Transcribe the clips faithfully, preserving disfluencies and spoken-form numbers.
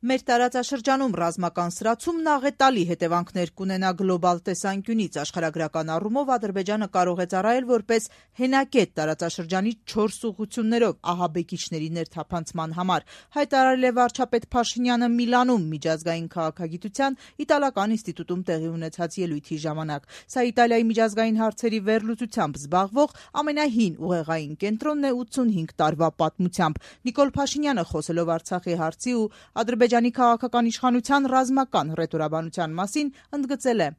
Մեր տարածաշրջանում ռազմական սրացումն աղետալի հետևանքներ կունենա գլոբալ տեսանկյունից։ Աշխարհագրական առումով Ադրբեջանը կարող է ծառայել որպես հենակետ տարածաշրջանի չորս ուղղություններով ահաբեկիչների ներթափանցման համար, հայտարարել է վարչապետ Փաշինյանը Միլանում միջազգային քաղաքագիտության իտալական ինստիտուտում տեղի ունեցած ելույթի ժամանակ։ Սա Իտալիայի միջազգային հարցերի վերլուծությամբ զբաղվող ամենահին ուղեղային կենտրոնն է ութսունհինգ տարվա պատմությամբ։ Նիկոլ Փաշինյանը խոսելով Արցախի հարցի ու Ադրբեջանի քաղաքական իշխանության ռազմական հռետորաբանության մասին ընդգծել է.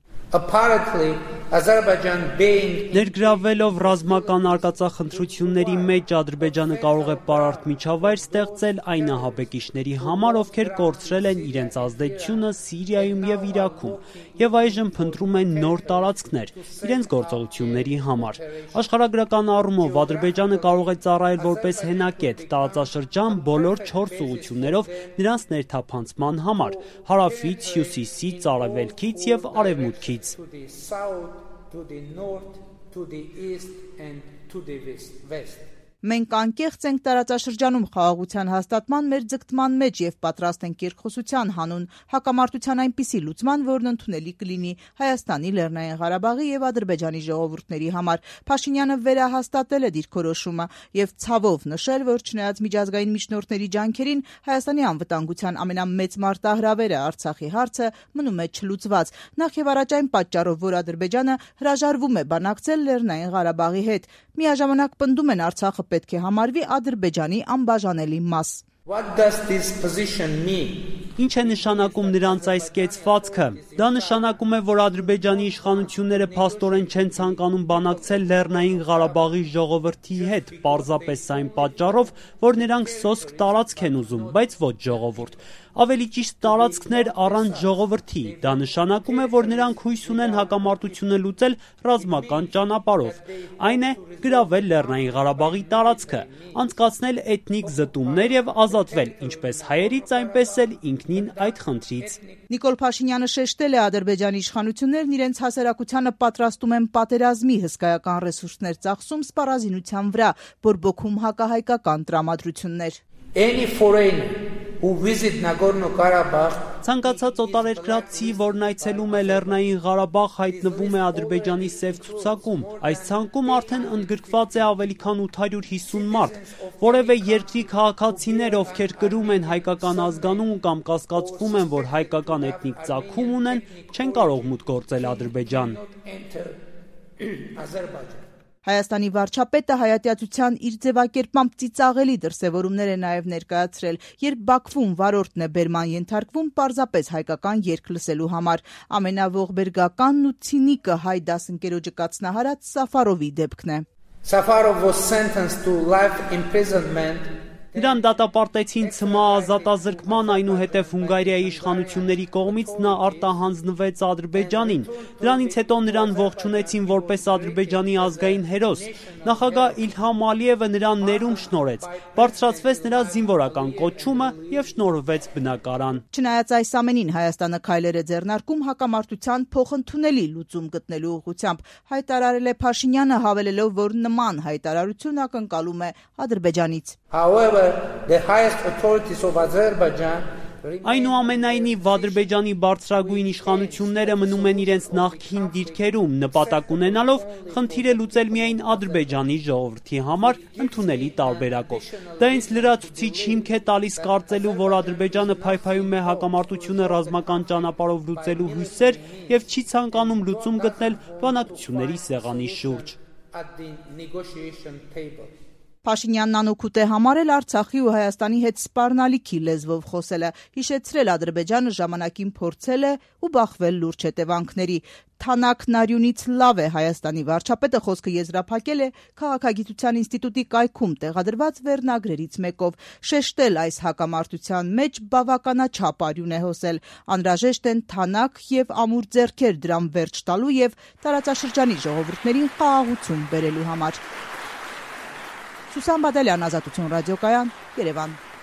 Ներգրավվելով ռազմական արկածախնդրությունների մեջ Ադրբեջանը կարող է պարարտ միջավայր ստեղծել այն ահաբեկիչների համար, ովքեր կորցրել են իրենց ազդեցությունը Սիրիայում եւ Իրաքում եւ այժմ փնտրում են նոր տարածքներ իրենց գործողությունների համար։ Աշխարհագրական առումով Ադրբեջանը կարող է ծառայել որպես հենակետ տարածաշրջան բոլոր չորս ուղղություններով նրանց ներթափանցման համար՝ հարավից, հյուսիսից, արևելքից եւ արևմուտքից։ Մենք անկեղծ ենք տարածաշրջանում խաղաղության հաստատման մեր ձգտման մեջ եւ պատրաստ ենք երկխոսության հանուն հակամարտության այնպիսի լուծման, որն ընդունելի կլինի Հայաստանի, Լեռնային Ղարաբաղի եւ Ադրբեջանի ժողովուրդների համար։ Փաշինյանը վերահաստատել է դիրքորոշումը եւ ցավով նշել, որ չնայած միջազգային միջնորդների ջանքերին Հայաստանի անվտանգության ամենամեծ մարտահրավերը Արցախի հարցը մնում է չլուծված։ Նախ եւ առաջ այն պատճառով, որ Ադրբեջանը հրաժարվում է բանակցել Լեռնային Ղարաբաղի հետ։ Միաժամանակ պնդում են Արցախը պետք է համարվի Ադրբեջանի անբաժանելի մաս։ Ինչ է նշանակում նրանց այս կեցվածքը։ Դա նշանակում է, որ Ադրբեջանի իշխանությունները փաստորեն չեն ցանկանում բանակցել Լեռնային Ղարաբաղի ժողովրդի հետ, պարզապես այն պատճառով, որ նրանք սոսկ տարածք են ուզում, բայց ոչ ժողովուրդ։ Ավելի ճիշտ տարածքներ առանց ժողովրդի։ Դա նշանակում է, որ նրանք հույս ունեն հակամարտությունը լուծել ռազմական ճանապարհով։ Այն է գրավել Լեռնային Ղարաբաղի տարածքը, անցկացնել էթնիկ զտումներ եւ ազատվել ինչպես հայերից, այնպես էլ ինքնին այդ խնդրից։ Նիկոլ Փաշինյանը շեշտել է Ադրբեջանի իշխանություններն իրենց հասարակությանը պատրաստում են պատերազմի հսկայական ռեսուրսներ ծախսում սպառազինության վրա, բորբոքում հակահայկական տրամադրություններ։ Ցանկացած օտարերկրացի, որն այցելում է Լեռնային Ղարաբաղ, հայտնվում է Ադրբեջանի սև ցուցակում։ Այս ցանկում արդեն ընդգրկված է ավելի քան ութ հարյուր հիսուն մարդ։ Որևէ երկրի քաղաքացիներ, ովքեր կրում են հայկական ազգանուն կամ կասկածվում են, որ հայկական էթնիկ ծագում ունեն, չեն կարող մուտք գործել Ադրբեջան։ Հայաստանի վարչապետը հայատյացության իր ձևակերպմամբ ծիծաղելի դրսևորումներ է նաև ներկայացրել, երբ Բաքվում վարորդն է բերման ենթարկվում պարզապես հայկական երգ լսելու համար։ Ամենաողբերգականն ու ցինիկը հայ դասընկերոջը կացնահարած Սաֆարովի դեպքն է։ Safarov was sentenced to life imprisonment. Նրան դատապարտեցին ցմահ ազատազրկման, այնուհետև Հունգարիայի իշխանությունների կողմից նա արտահանձնվեց Ադրբեջանին։ Դրանից հետո նրան ողջունեցին որպես Ադրբեջանի ազգային հերոս։ Նախագահ Իլհամ Ալիևը նրան ներում շնորհեց, բարձրացվեց նրա զինվորական կոչումը եւ շնորհվեց բնակարան։ Չնայած այս ամենին Հայաստանը քայլեր է ձեռնարկում հակամարտության փոխընդունելի լուծում գտնելու ուղղությամբ, հայտարարել է Փաշինյանը, հավելելով, որ նման հայտարարություն ակնկալում է Ադրբեջանից։ However, the highest authorities of Azerbaijan Այնուամենայնիվ Ադրբեջանի բարձրագույն իշխանությունները մնում են իրենց նախկին դիրքերում, նպատակ ունենալով խնդիրը լուծել միայն Ադրբեջանի ժողովրդի համար ընդունելի տարբերակով։ Դա ինձ լրացուցիչ հիմք է տալիս կարծելու, որ Ադրբեջանը փայփայում է հակամարտությունը ռազմական ճանապարհով լուծելու հույսեր եւ չի ցանկանում լուծում գտնել բանակցությունների սեղանի շուրջ։ Փաշինյանն անօգուտ է համարել Արցախի ու Հայաստանի հետ սպառնալիքի լեզվով խոսելը, հիշեցրել Ադրբեջանը ժամանակին փորձել է ու բախվել լուրջ հետևանքների։ Թանաքն արյունից լավ է Հայաստանի վարչապետը խոսքը եզրափակել է Քաղաքագիտության ինստիտուտի կայքում տեղադրված վերնագրերից մեկով, շեշտել այս հակամարտության մեջ բավականաչափ արյուն է հոսել, անհրաժեշտ են թանաք եւ ամուր ձեռքեր դրան վերջ տալու եւ տարածաշրջանի ժողովուրդներին խաղաղություն բերելու համար։ Սուսան Բադալյան, Ազատություն ռադիոկայան, Երևան։